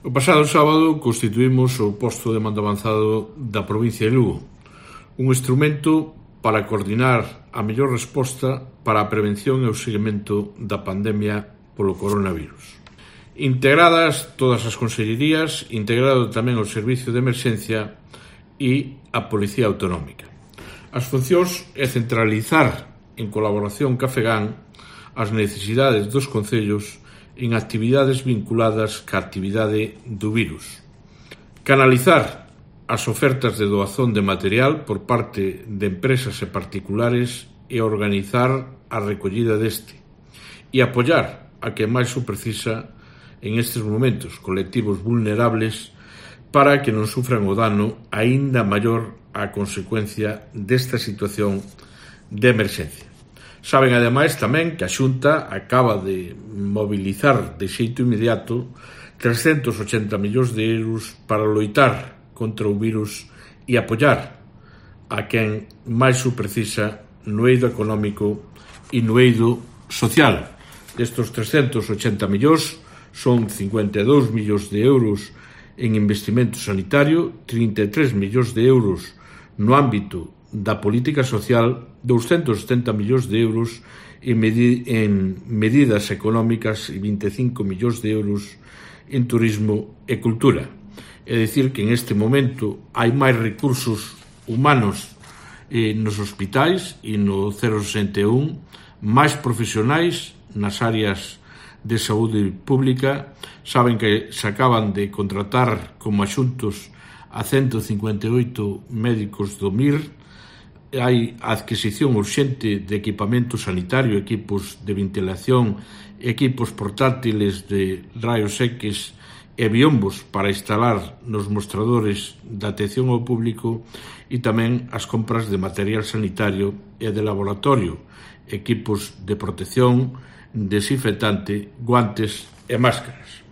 O pasado sábado constituímos o posto de mando avanzado da provincia de Lugo, un instrumento para coordinar a mellor resposta para a prevención e o seguimento da pandemia polo coronavirus. Integradas todas as consellerías, integrado tamén o Servicio de Emerxencia e a Policía Autonómica. As funcións é centralizar, en colaboración ca FEGAN, as necesidades dos concellos en actividades vinculadas ca actividade do virus. Canalizar as ofertas de doazón de material por parte de empresas e particulares e organizar a recollida deste. E apoiar a que máis o precisa en estes momentos, colectivos vulnerables, para que non sufran o dano aínda maior a consecuencia desta situación de emerxencia. Saben, ademais, tamén que a Xunta acaba de mobilizar de xeito inmediato 380 millóns de euros para loitar contra o virus e apoiar a quen máis o precisa no eido económico e no eido social. Destos 380 millóns son 52 millóns de euros en investimento sanitario, 33 millóns de euros no ámbito da política social, 270 millóns de euros en medidas económicas e 25 millóns de euros en turismo e cultura. É dicir que en este momento hai máis recursos humanos nos hospitais e no 061, máis profesionais nas áreas de saúde pública. Saben que se acaban de contratar como axuntos a 158 médicos do MIR. Hai a adquisición urxente de equipamento sanitario, equipos de ventilación, equipos portátiles de raios X e biombos para instalar nos mostradores da atención ao público e tamén as compras de material sanitario e de laboratorio, equipos de protección, desinfectante, guantes e máscaras.